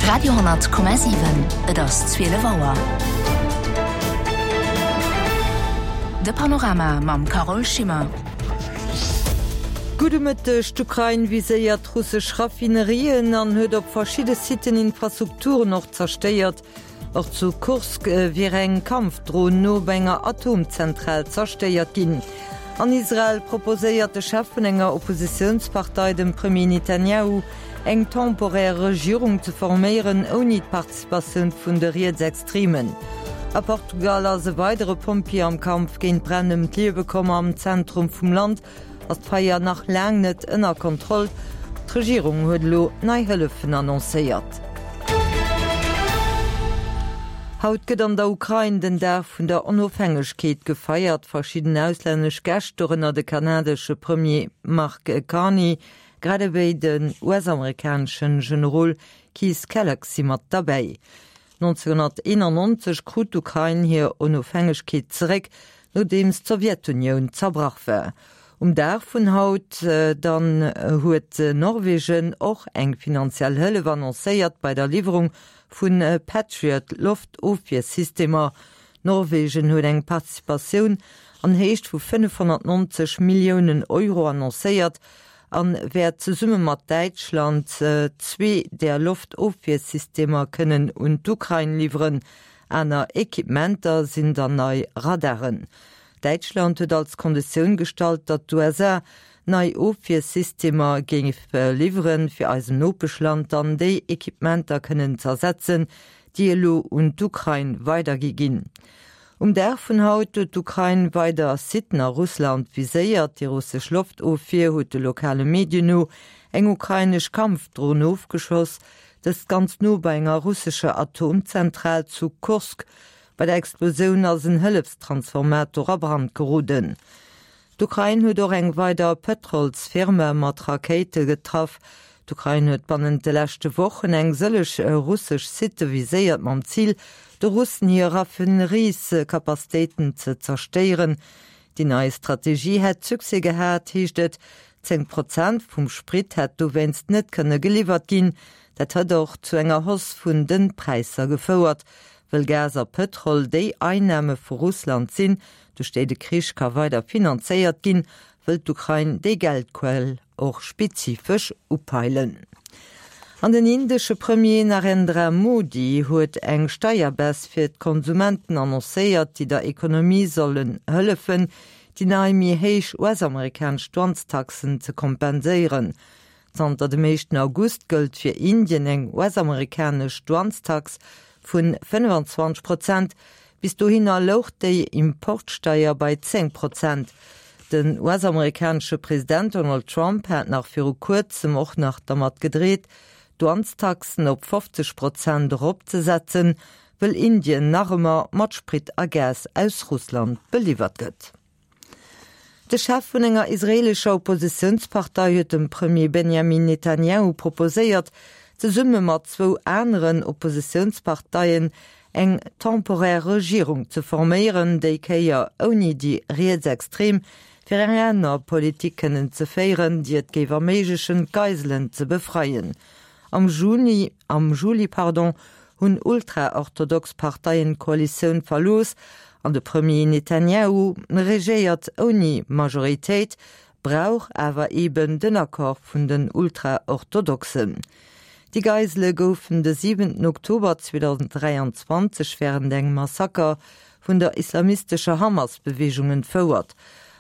Radio,7 Et ass 12 Auer. De Panorama mam Carole Schimmer. Gudde Mëtteg, D'Ukrain viséiert russesch Raffinerien an huet op verschidde Siten Infrastrukturen och zerstéiert. Och zu Kursk wier eng Kampfdron no bei enger Atomzentral zerstéiert ginn. An Israel proposéiert de Chef vun enger Oppositiounspartei dem Premier Netanyahu, eng temporär Regierung ze forméieren, ouni d'Participatioun vun de Rietsextremen. A Portugal ass e weidere Pompjee am Kampf géint d'Bränn ëm d'Liewe komm. Am Zentrum vum Land ass d'Feier nach laang net ënner Kontroll. D'Regierung huet elo nei Hëllefen annoncéiert. Haut gëtt an der Ukrain den Dag vun der Onofhängegkeet gefeiert. Verschidden auslännesch Gäscht, dorënner de kanadesche Premier Mark Carney, grad ewéi den US-amerikaneschen Generol Keith Kellogg si mat derbäi. 1991 krut d'Ukrain hir Onofhängegkeet zeréck, nodeems d'Sowjetunioun zerbrach war. Um Dag vun haut dann huet Norwegen och eng finanziell Hëllef annoncéiert bei der Liwwerung vu Patriot-Loftofwiersystemer. Norwegen huet eng Participatioun an Héicht vu 590 Milliounen Euro annoncéiert an wäert zesumme mat Däitschland zwee där Loftofwiersystemer kënnen un d'Ukrain liwweren. Aner Equipementer sinn dann nei Radaren. Däitschland huet als Konditioun gestallt, datt d'USA nei Ofwiersystemer géif liwweren, fir eisem Nopeschland dann déi Equipementer kënnen z'ersetzen, déi elo un d'Ukrain weidergi ginn. Um Dag vun haut huet d'Ukrain weider Siten a Russland viséiert. Déi russesch Loftofwier huet de lokale Medien no eng ukrainesch Kampfdron ofgeschoss, dëst ganz no bei enger russescher Atomzentral zu Kursk. Bei der Explosioun ass en Hëllefstransformator a Brand geroden. D'Ukrain huet och eng weider Pëtrolsfirma mat Rakéite getraff. D'Ukrain huet bannent de leschte Wochen eng sëlleg russesch Sitte viséiert mam Zil, de Russen hir Raffineriescapacitéiten ze zerstéieren. Déi nei Strategie hätt Succès gehat, heescht et. 10 Prozent vum Sprit hätt dowéinst net kënne geliwwert ginn. Dat hätt och zu enger Hausse vun de Präisser gefouert. Wëll Gas a Pëtrol déi Einname vu Russland sinn, duerch déi de Krich ka weider finanzéiert ginn, wëll d'Ukrain déi Geldquell och spezifesch upeilen. An den indesche Premier Narendra Modi huet eng Steierbaisse fir d'Konsumenten annoncéiert, déi der Ekonomie sollen hëllefen, déi nei méi héich US-amerikanesch Douanestaxen ze kompenséieren. Zanter dem éischten August gëllt fir Indien eng US-amerikanesch Douanestax vu 25 Prozent. Bis dohinner louch déi Importsteier bei 10 Prozent. Den US-amerikanesche President Donald Trump hat nach viru kuerzem och nach dermat gedreet, d'Douanestaxen op 50 Prozent eropzesetzen, wëll Indien nach ëmmer mat Sprit a Gas aus Russland beliwwert gëtt. De Chef vun enger israeelescher Oppositiounspartei huet dem Premier Benjamin Netanjahu proposéiert, zesumme mat zwou aneren Oppositiounsparteien eng temporär Regierung ze forméieren, déi Kéier ouni déi Rietsextrem, fir eng aner Politik kënnen ze féieren, déi et géif erméiglechen, d'Geiselen ze befreien. Am Juni, am Juli, pardon, hunn ultraorthodox Parteien d'Koalitioun verlooss an de Premier Netanjahu regéiert ouni Majoritéit, brauch awer eben den Accord vun den Ultraorthodoxen. Déi Geisele goufen de 7 Oktober 2023 wärend engem Massaker vun der islamistescher Hamas-Beweegung entfouert.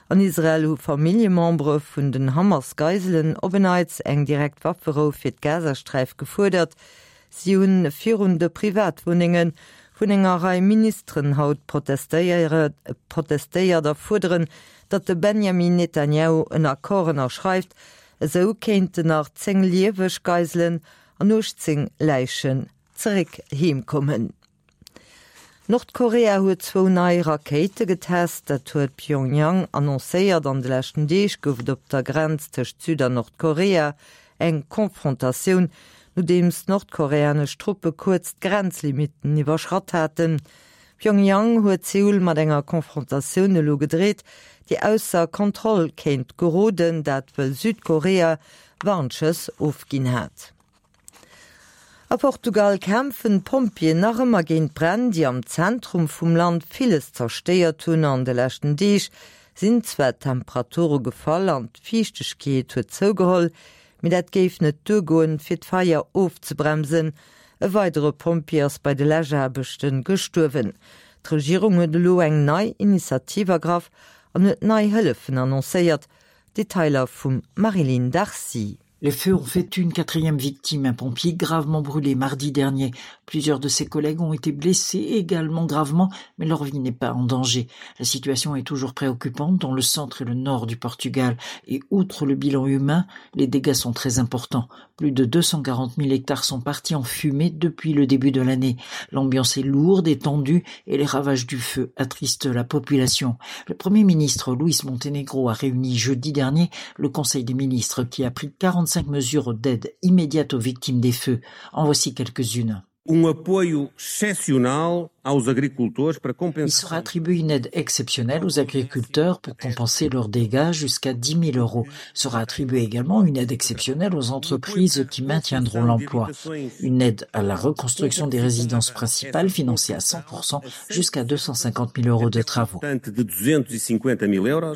An Israel hu Familljemembere vun den Hamas-Geiselen op en Neits eng direkt Wafferou fir d'Gazasträif gefuerdert. Si hunn virun de Privatwunnenge vun enger Rei Ministeren haut protestéiert a fuerderen, datt de Benjamin Netanjahu en Accord ënnerschreift. Esou kéinten nach 10 lieweg Geiselen an 18 Läichen zeréck heem kommen. Nordkorea huet zwou nei Rakéite getest, dat huet Pyongyang annoncéiert. An de leschten Deeg gouf et op der Grenz tëscht Süd an Nordkorea eng Konfrontatioun, nodeems nordkoreanesch Truppe kuerz d'Grenzlimitten iwwerschratt haten. Pyongyang huet Seoul mat enger Konfrontatioun elo gedreet, déi ausser Kontroll kéint geroden, dat wëll Südkorea Warnschëss ofginn hat. A Portugal kämpfen d'Pompjeeën nach ëmmer géint d'Bränn, déi am Zentrum vum Land villes zerstéiert hunn. An de leschten Deeg sinn zwar d'Temperature gefall an d'Fiichtegkeet huet zougeholl, mee dat géif net duergoen, fir d'Feier ofzebremsen. E weidere Pompjee ass bei de Läschaarbechte gestuerwen. D'Regierung huet elo eng nei Initiativ ergraff an huet nei Hëllefen annoncéiert. Detailer vum Marie-Line Darcy. Les feux ont fait une quatrième victime, un pompier gravement brûlé mardi dernier. Plusieurs de ses collègues ont été blessés également gravement, mais leur vie n'est pas en danger. La situation est toujours préoccupante dans le centre et le nord du Portugal. Et outre le bilan humain, les dégâts sont très importants. Plus de 240 000 hectares sont partis en fumée depuis le début de l'année. L'ambiance est lourde et tendue et les ravages du feu attristent la population. Le premier ministre Luis Montenegro a réuni jeudi dernier le conseil des ministres qui a pris 45 mesures d'aide immédiate aux victimes des feux. En voici quelques-unes. Um apoio excepcional aos agricultores para Il compensar sera attribué une aide exceptionnelle aux agriculteurs pour compenser leurs dégâts jusqu'à 10 000 euros. Sera attribuée également une aide exceptionnelle aux entreprises qui maintiendront l'emploi. Une aide à la reconstruction des résidences principales financée à 100% jusqu'à 250 000 euros de travaux. montante de 250 000 euros.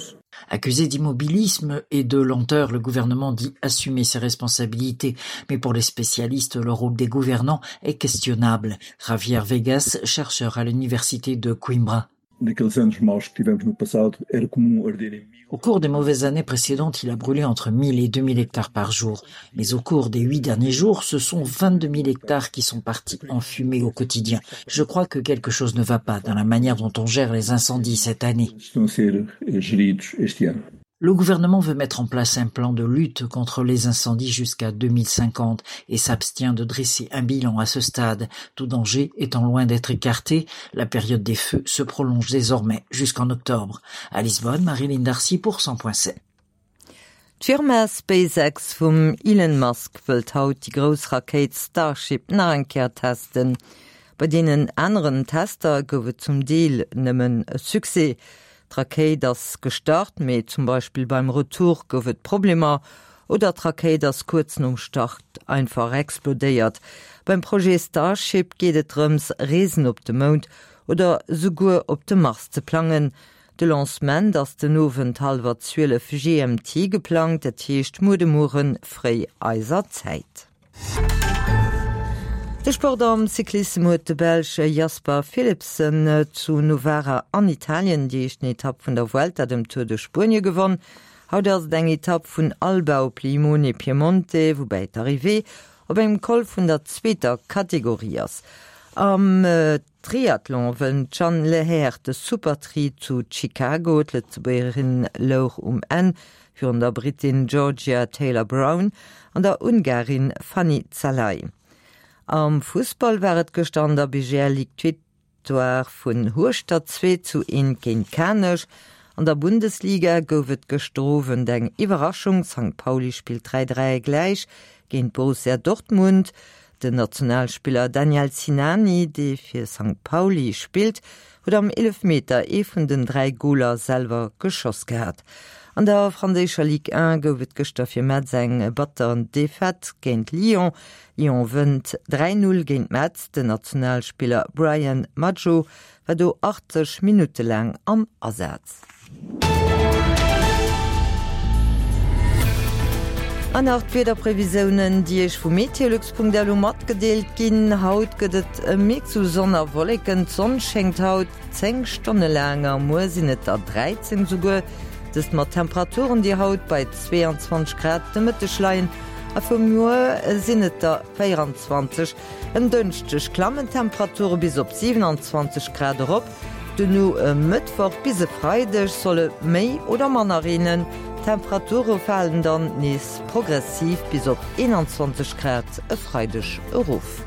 Accusé d'immobilisme et de lenteur, le gouvernement dit assumer ses responsabilités. Mais pour les spécialistes, le rôle des gouvernants est questionnable. Javier Vegas, chercheur à l'université de Coimbra. Naqueles anos maus que tivemos no passado, era comum arder em Au cours des mauvaises années précédentes, il a brûlé entre 1000 et 2000 hectares par jour. Mais au cours des huit derniers jours, ce sont 22 000 hectares qui sont partis en fumée au quotidien. Je crois que quelque chose ne va pas dans la manière dont on gère les incendies cette année. estão a ser eh, geridos este ano. Le gouvernement veut mettre en place un plan de lutte contre les incendies jusqu'à 2050 et s'abstient de dresser un bilan à ce stade. Tout danger étant loin d'être écarté, la période des feux se prolonge désormais jusqu'en octobre. À Lisbonne, Marilyn Darcy pour 100.7. D'Firma SpaceX vum Elon Musk wëllt haut déi grouss Rakéit Starship nach eng Kéier testen. Bei deenen aneren Tester gouf et zum Deel nëmmen e Succès. D'Rakéit ass gestart, mee zum Beispill beim Retour gouf et Problemer oder d'Rakéit ass kuerz nom Start einfach explodéiert. Beim Projet Starship geet et drëms, Reesen op de Mound oder souguer op de Mars ze plangen. De Lancement ass den Owend hallwer 12 GMT geplangt, dat heescht muer de Muere fréi eiser Zäit. De Sport Am Cyclissem huet de Belsch Jasper Philipsen zu Novara an Italien déi éischten Etapp vun der Vuelta, dem Tour de Spuenie, gewonn. Haut ass et eng Etapp vun Alba op Limone Piemonte, woubäi d'Arrivée op engem Col vun der zweeter Kategorie ass. Am Triathlon wënnt d'Jeanne Lehair de Supertri zu Chicago. D'Lëtzebuergerin louch um Enn virun der Brittin Georgia Taylor-Brown an der Ungarin Fanny Szalai. Am Fussball war et gëschter an der BGL Ligue d'Victoire vun Hueschtert 2 zu 1 géint Kanech. An der Bundesliga gouf et gëschter Owend eng Iwwerraschung, Sankt Pauli spillt 3, 3 gläich géint Borussia Dortmund. Den Nationalspiller Daniel Sinani, dee fir Sankt Pauli spillt, huet am Eelefmeter ee vun den 3 Goler selwer geschoss gehat. An der franséischer Ligue 1 gouf et gëschter fir Metz eng batter Defaite géint Lyon. Lyon wënnt 3, 0 géint Metz. Den Nationalspiller Brian Madjo war do 80 Minutte laang am Asaz. An nach d'Wiederprevisiounen, déi Iech vu meteolux.lu matgedeelt ginn. Haut gëtt et e Mix u Sonn a Wolleken. D'Sonn schéngt haut 10 Stonne laang a muer sinn et der 13 esouguer. Dëst mat Temperaturen, déi haut bei 22 Grad de Mëtteg leien a vu muer sinn et der 24. En Dënschdeg klammen d'Temperature bis op 27 Grad erop. Duerno e Mëttwoch bis e Freideg soll et méi oder manner reenen. D'Temperature falen dann nees progressiv bis op 21 Grad e Freideg erof.